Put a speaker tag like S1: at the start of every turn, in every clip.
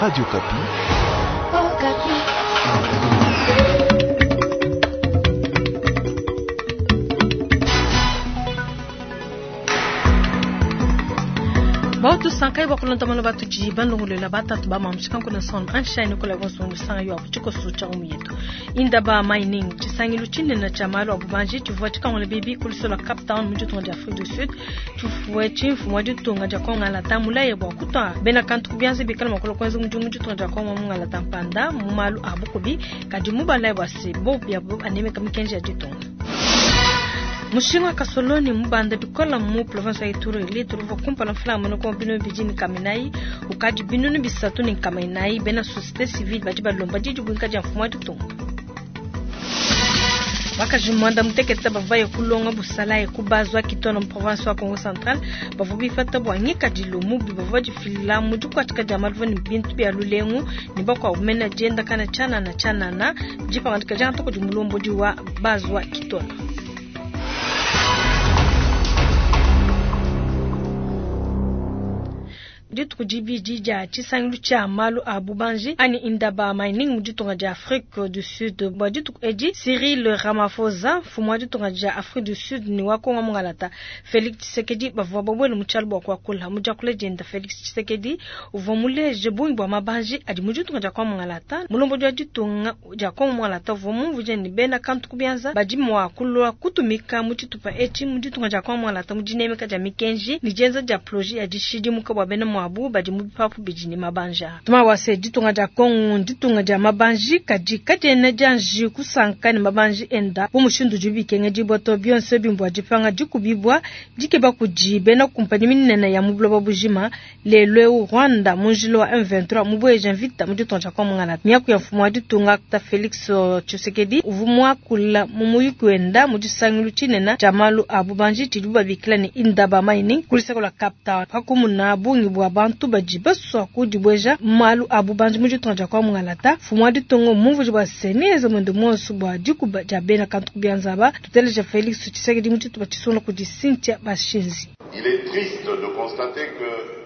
S1: Radio Okapi.
S2: Bautu sankai bakulonda mano batudi bandongolola batatu ba mamushika nkuna son anshine kola bonso musanga yo chikoso cha umuyetu indaba mining chisangilu chinene cha malu abubanji chivua chikangola bibi kulisola Cape Town mu ditunga dia Afrique du Sud chufue chimfumu wa ditunga dia Kongo alata mulaye bua kutua bena kantu kubianza bikala makolo kwenza mudimu mu ditunga dia Kongo mungalata mpanda mu malu a bukubi kadi mubalaye bua se bo biabo anemeka mikenji ya ditunga. Mushinga kasoloni mubanda bikola mu province ya Ituri litre uva kumpala mfulanga monoko bino bidi ni kaminai ukadi binunu bisatu ni kaminai bena société civile badi balomba didi buinka dia mfumu wa ditunga. Bakaji mwanda mutekete bavaye kulonga busalaye kubazwa kitona mu province wa Kongo Central bavua bifata bua ngikadilu mubi bavua difila mu dikuatika dia maluvu ne bintu bia lulengu ne bakuabu mena dienda kana tshianana tshianana dipangadika dia ntoko di mulombodi wa bazwa kitona. Dituku dibidi dia tshisangilu tshia malu a bubanji ani indaba mining mu ditunga dia Afrique du Sud. Bua dituku edi Cyril Ramaphosa mfumu wa ditunga dia Afrique du Sud ni wa Kongo mungalata Felix Tshisekedi bavua babuele mu tshialu bua kuakula mu diakula dienda. Felix Tshisekedi uvua muleje bungi bua mabanji adi mu ditunga dia Kongo mungalata. Mulombodi wa ditunga dia Kongo mungalata uvua mumvuije ne bena kantu kubianza badi mua kulua kutumika mu tshitupa etshi mu ditunga dia Kongo mungalata mu dinemeka dia mikenji ne dienza dia projet ya dishidimuka bua bena muabu badi mu bipapu bidi ne mabanja. Tuma wase ditunga dia Kongo ditunga dia mabanji kadi kadiena dianji kusanka ne mabanji enda bu mushindu udi bikengedibua to bionso bimbua dipanga dikubibua dikeba kudi bena kumpanyi minene ya mu buloba bujima. Lelo eu Rwanda mu njila wa M23 mubueja mvita mu ditunga dia Kongo mungalata. Miaku ya mfumu wa ditunga ta Felix Tshisekedi uvua muakula mu muyuki wenda mu disangilu tshinene tshia malu a bubanji tshidibu babikila ne Indaba Mining ku luseke lua Cape Town. Pakumuna bungi bua bantu badi basua kudibueja malu a bubanji mu ditunga dia Kongo mungalata, mfumu wa ditunga mumvuije bua se neenze muende muonso bua dikuba dia bena kantu kubianza aba. Tuteleja Felix Tshisekedi mu tshitupa tshisungula kudi Cynthia Bashinzi.
S3: Il est triste de constater que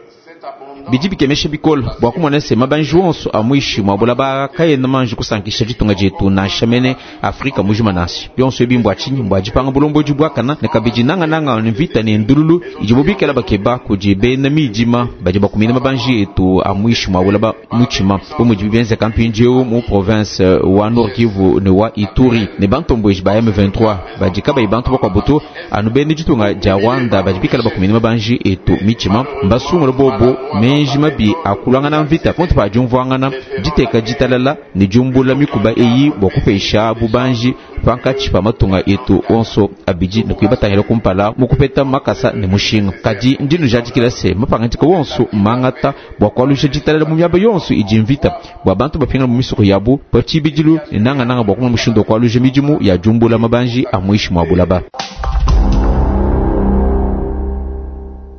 S4: bidi bikemesha bikole bua kumona se mabanji wonso a muishi mua bulaba kayena manji kusankisha ditunga dietu nansha mene Afrika mujima nansha bionso ebi mbua tshinyi mbua dipanga bulombodi buakana ne kabidi nangananga ne mvita ne ndululu idibo bikala bakeba kudi bena midima badi bakumina mabanji etu a muishi mua bulaba mutshima bu mudibi bienzeka mpindieu mu province wa Nord Kivu ne wa Ituri ne bantomboji ba M23 badi kabayi bantu bakuabu to anu bena ditunga dia Rwanda badi bikala bakumina mabanji etu mitshima mbasungula bobo menji mabi akulangana mvita ponto pa diumvuangana diteka ditalala ne diumbula mikuba eyi bua kupesha bubanji pankatshi pa matunga etu onso abidi ne kuibatangila kumpala mu kupeta makasa ne mushinga. Kadi ndi nujadikila se mapangadika wonso mangata bua kualusha ditalala mu miaba yonso idi mvita bua bantu bapingana mu misoko yabu pa tshibidilu ne nangananga bua kumona mushindu wa kualusha midimu ya diumbula mabanji a muishi mua bulaba.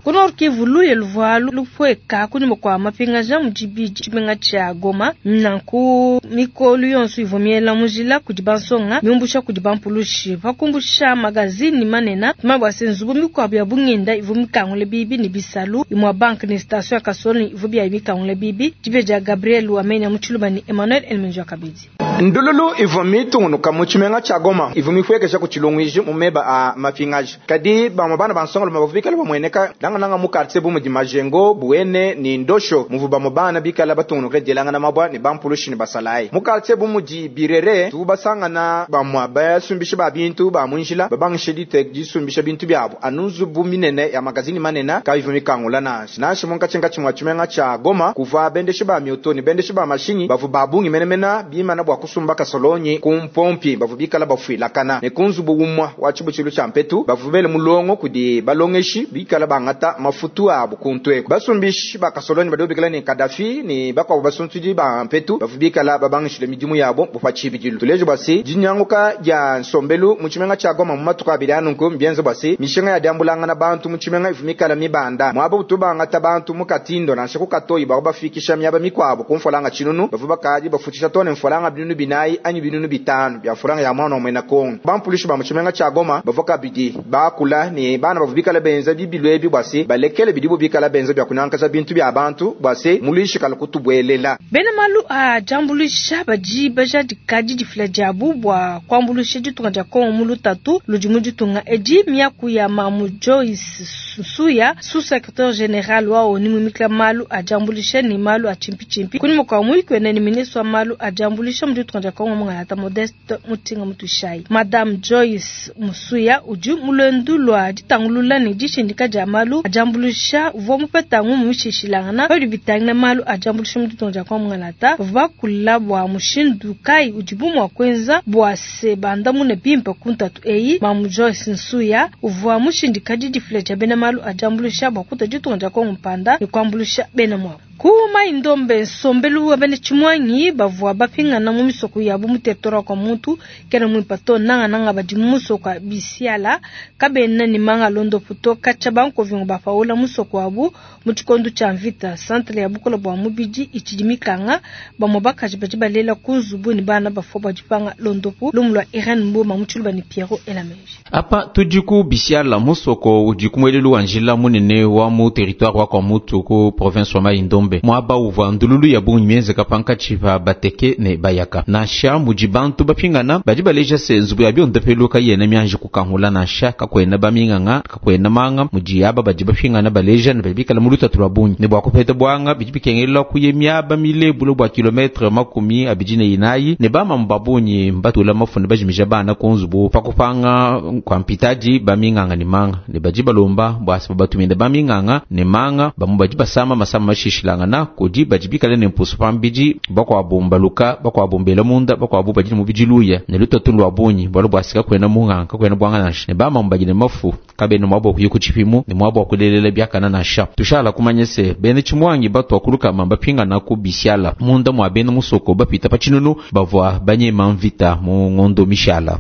S2: Ku Nord Kivu luye luvua lupueka kunyima kua mapingaja mu dibidi tshimenga tshia Goma. Nanku mikolu yonso ivua miela mu njila kudi bansonga miumbusha kudi bampulushi pakumbusha magazini manene tumanye bua se nzubu mikuabu ya bungenda ivua mikangule bibi ne bisalu imua banque ne station ya Kasoloni ivua biayi mikangule bibi. Dibia dia Gabriel Wamenya mu Tshiluba ne Emmanuel Elmenjo Kabidi.
S5: Ndululu ivua mitungunuka mu tshimenga tshia Goma ivua mipuekesha ku tshilunguiji mu meba a mapingaja. Kadi bamue bana bansonga lume bavua bikale bamueneka nangananga mu quartier bu mudi Majengo, Buene ne Ndosho muvua bamue bana bikale batungunuka dielangana mabua ne bampulushi ne basalayi. Mu quartier bu mudi Birere tuvua basangana bamue basumbisha ba bintu ba mu njila babangisha disumbisha bintu biabu anu nzubu minene ya magazini manene kayivua mikangula nansha. Nansha munkatshinkatshi mua tshimenga tshia Goma kuvua bendeshi ba mioto ne bendeshi ba mashinyi bavua ba bungi menemene bimana bua kusumba kasolonyi ku mpompi bavua bikala bafuilakana ne ku nzubu umue wa tshibutshilu tshia mpetu bavua bele mulongo kudi balongeshi bikala bangata mafutu abu ku ntweku. Basumbishi ba kasolonyi badi bikala ne Kadafi ne bakuabu basuntudi ba mpetu bavua bikala babangishile midimu yabo pa tshibidilu. Tuleje bua se dinyanguka dia nsombelu mu tshimenga tshia Goma mu matuku abidi anunku mbienze bua se mishinga ya diambulangana bantu mu tshimenga ivua mikala mibanda muaba utu bangata bantu mu Katindo nansha ku Katoyi bavua bafikisha miaba mikuabu ku mfolanga tshinunu bavua bakadi bafutshisha too ne mfolanga binunu binayi anyi binunu bitanu bia mfolanga ya mwana wa muena Kongo. Bampulushi ba mu tshimenga tshia Goma bavua kabidi bakula ne bana bavua bikala benza bibilu ebi bua se se balekele bidibo bikala benza bia kunyankaja bintu bia bantu bua se muluishi kalu kutubuelela.
S2: Bena malu a diambuluisha badi bajadika didifila diabu bua kuambuluisha ditunga dia Kongo mu lutatu ludi mu ditunga edi. Miaku ya Mamu Joyce Nsuya, sous-secrétaire général wa ONU muimikila malu a diambuluisha ne malu a tshimpitshimpi, kunyima kua muyuki wende ne ministre wa malu a diambuluisha mu ditunga dia Kongo Mungalata Modeste Mutinga Mutuishayi. Madame Joyce Musuya udi mu luendu lua ditangulula ne dishindika dia malu a diambuluisha uvua mupeta ngumu mishilashilangana pa bidi bitangila malu a diambuluisha mu ditunga dia Kongo Mungalata. Bavua bakula bua mushindu kayi udibu mua kuenza bua se bandamune bimpe ku ntatu eyi. Mamu Joyce Nsuya uvua mushindika didifila dia bena malu a diambuluisha bua kutua ditunga dia Kongo mpanda ne kuambuluisha bena muabu. Ku Mai-Ndombe, nsombelu wa bena tshimuangi bavua bapingana mu misoko yabu mu territoire wa Kwamouth kena muimpe to, nangananga badi mu musoko wa Bisiala kabena ne manga a luondopu to. Katshia bankovingo bapaula musoko wabu mu tshikondo tshia mvita, centre ya bukole bua mubidi itshidi mikanga. Bamue bakaji badi balela ku nzubu ne bana bafua bua dipanga luondopu. Lumu lua Irene Mboma mu Tshiluba ne Pierrot Elameji.
S4: Apa tudi ku Bisiala, musoko udi ku muelelu wa njila munene wa mu territoire wa Kwamouth ku province wa Mai-Ndombe, muaba uvua ndululu ya bungi mienzeka pankatshi pa bateke ne bayaka. Nansha mudi bantu bapingana, badi baleja se nzubu ya biondopelu kayena mianji kukangula, nansha kakuena baminganga, kakuena manga. Mudi aba badi bapingana baleja ne badi bikala mu lutatu lua bungi ne bua kupeta buanga bidi bikengela kuya miaba mile bule bua kilometre 24, ne bamamu ba bungi mbatula mafu ne bajimija bana ku nzubu pa kupanga kua mpitadi baminganga ne manga, ne badi balomba bua se babatumine baminganga ne manga. Bamue badi basama masama mashishilangana kudi badi bikale ne mpusu pambidi, bakuabu mbaluka, bakuabu mbela munda, bakuabu badi ne mubidi luya ne lutatu lua bungi bualu bua se kakuena munganga, kakuena buanga nansha, ne bamamu badi ne mafu kabena muaba wa kuya ku tshipimu ne muaba wa kulelela biakana nansha. Tushala kumanya se bena tshimuangi batua kulukama bapingana ku Bisiala munda mua bena musoko bapita pa tshinunu bavua banyema mvita mu ngondo mishala.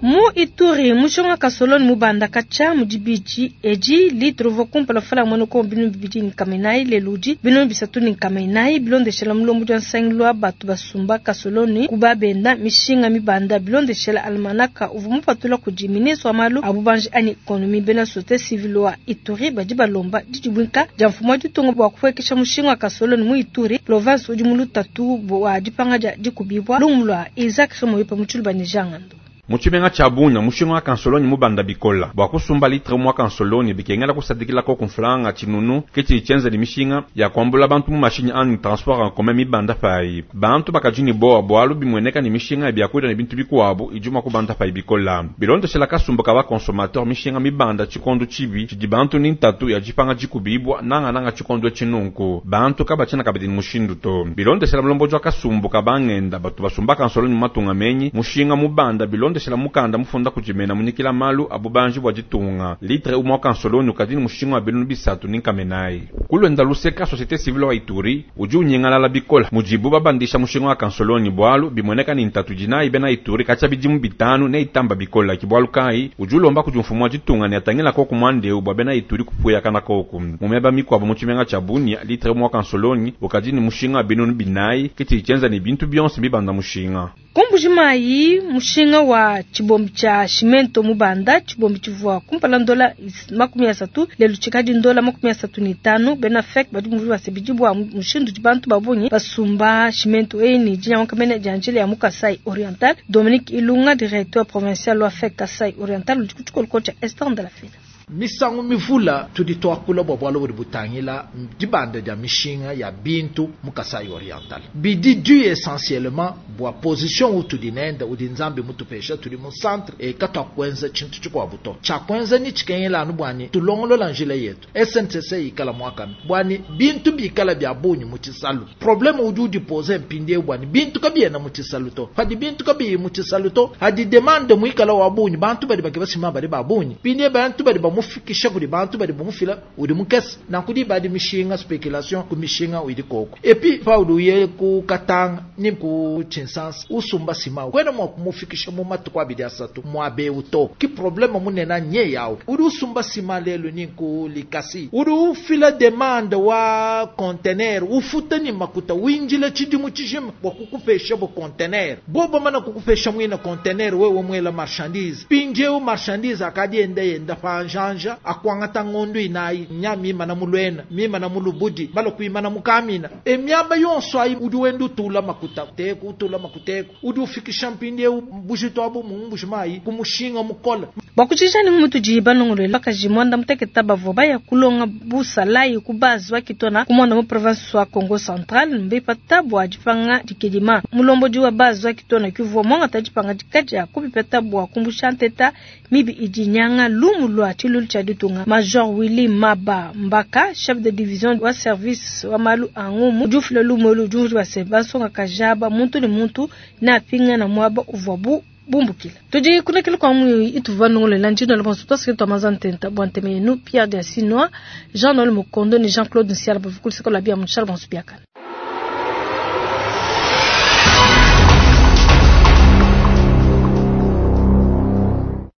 S2: Mu Ituri, mushinga wa kasoloni mubanda katshia mu dibidi edi litre uvua kumpala mfranga muena Kongo 2400, lelu udi 3400, bilondeshela mulombodi wa nsangilu wa batu basumba kasoloni ku babenda. Mishinga mibanda bilondeshela almanaka uvua mupatula kudi ministre wa malu a bubanji anyi ekonomi. Bena société civile wa Ituri badi balomba didibuinka dia mfumu wa ditunga bua kupuekesha mushinga wa kasoloni mu Ituri, province udi mu lutatu bua dipanga dia dikubibua. Lumu lua Isaac Remoyope mu Tshiluba ne Jean Ngando.
S1: Mu tshimenga tshia Bunia, mushinga wa kansolonyi mubanda bikola. Bua kusumba litre umue wa kansolonyi bikengela kusadikila koku mfranga tshinunu, ke tshidi tshienza ne mishinga ya kuambula bantu mu mashinyi anyi transport en commun mibanda payi. Bantu bakadi ne bowa bualu bimueneka ne mishinga ya biakudia ne bintu bikuabu idi mua kubanda payi bikola. Bilondeshela kasumbu ka ba consommateur, mishinga mibanda tshikondo tshibi tshidi bantu ne ntatu ya dipanga dikubibua, nangananga tshikondo etshi nunku bantu kabatshiena kabidi ne mushindu to. Bilondeshela mulombodi wa kasumbu ka bangenda batu basumba kansolonyi mu matunga menyi, mushinga mubanda bilondeshela mukanda mufunda kudi mena munyikila malu a bubanji bua ditunga, litre umue wa kansolonyi ukadi ne mushinga wa 3400. Ku luenda luseka, société civile wa Ituri udi unyingalala bikola mudibu babandisha mushinga wa kansolonyi bualu bimueneka ne ntatu idi nayi bena Ituri katshia bidimu 5 ne itamba bikola. Ke bualu kayi udi ulomba kudi mfumu wa ditunga ne atangila koku muanda eu bua bena Ituri kupuyakana koku. Mu miaba mikuabu mu tshimenga tshia Bunia, litre umue wa kansolonyi ukadi ne mushinga wa 4000, ke tshidi tshienza ne bintu bionso bibanda mushinga.
S2: Ku Mbuji-Mayi, mushinga wa tshibombi tshia cimento mubanda, tshibombi tshivua kumpala ndola 30, lelu tshikadi ndola 35. Bena FEC badi bumvua base bidi bua mushindu udi bantu ba bungi basumba cimento eyi ne dinyanguka mene dia njila ya mu Kasai Oriental. Dominique Ilunga, directeur provincial wa FEC Kasai Oriental, udi ku tshikoloko tshia Esther Ndalafila.
S6: Misangu mivula tudi tuakula bua bualu budi butangila dibanda dia mishinga ya bintu mu Kasai Oriental. Bidi dû essentiellement bua position utudi nende, udi Nzambi mutupesha, tudi mu centre e katuakuenza tshintu tshikuabu to. Tshiakuenza ni tshikengela anu bua ni tulongolola njila yetu. SNCC ikala muakane bua ni bintu bikala bia bungi mu tshisalu. Probleme udi udipose mpindieu bua ni bintu kabiena mu tshisalu to. Padi bintu kabiyi mu tshisalu to, hadi demande muikala wa bungi, bantu badi bakeba ciment badi ba bungi. Mpindieu bantu badi ba bamufikisha kudi bantu badi bamufila udi mukese. Nanku diba adi mishinga, speculation ku mishinga idi koko. Et puis paudi uye ku Katanga ni ku Tshinsansa usumba ciment, kuena mua kumufikisha mu matuku abidi asatu muaba eu to. Ki probleme munene nye yawu. Udi usumba ciment lelu ni ku Likasi, udi ufila demande wa conteneur, ufuta ni makuta, winjila tshidimu tshijima bua kukupesha bo conteneur. Bo bamana kukupesha muina conteneur, wewe muela marchandise. Mpindieu marchandise akadi enda yenda panjanja, akuangata ngondu inayi, nya mimana mu Luena, mimana mu Lubudi, bala kuimana mu Kamina. E miaba yonso ayi udi wenda utula makuta, teku, utula makuta eku. Udi ufikisha mpindieu bujitu abu mu mbuji mayi ku mushinga mukole.
S2: Bua kutshija ne mutudi balongolole bakaji muanda mutekete bavua baya kulonga busalayi ku base wa Kitona ku muanda mu province wa Kongo Central mbipata bua dipanga dikedima. Mulombodi wa base wa Kitona kuvua muangata dipangadika dia kubipata bua kumbusha nteta mibi idi nyanga lumu lua tshilulu tshia ditunga. Major Willy Maba Mbaka, chef de division wa service wa malu a ngumu, udi ufila lumu elu, udi umvuija se bansongakaji aba muntu ne muntu neapingana muaba uvuabu bumbukila. Tudi kunekela kwa muyi ituvua nongolela njino la bonso twasike twa maza ntenta bua nteme yenu Pierre Diasinoa, Jean-Noël Mukondo ne Jean-Claude Nsiala bavukuliseko la bia mutshala bonso biakana.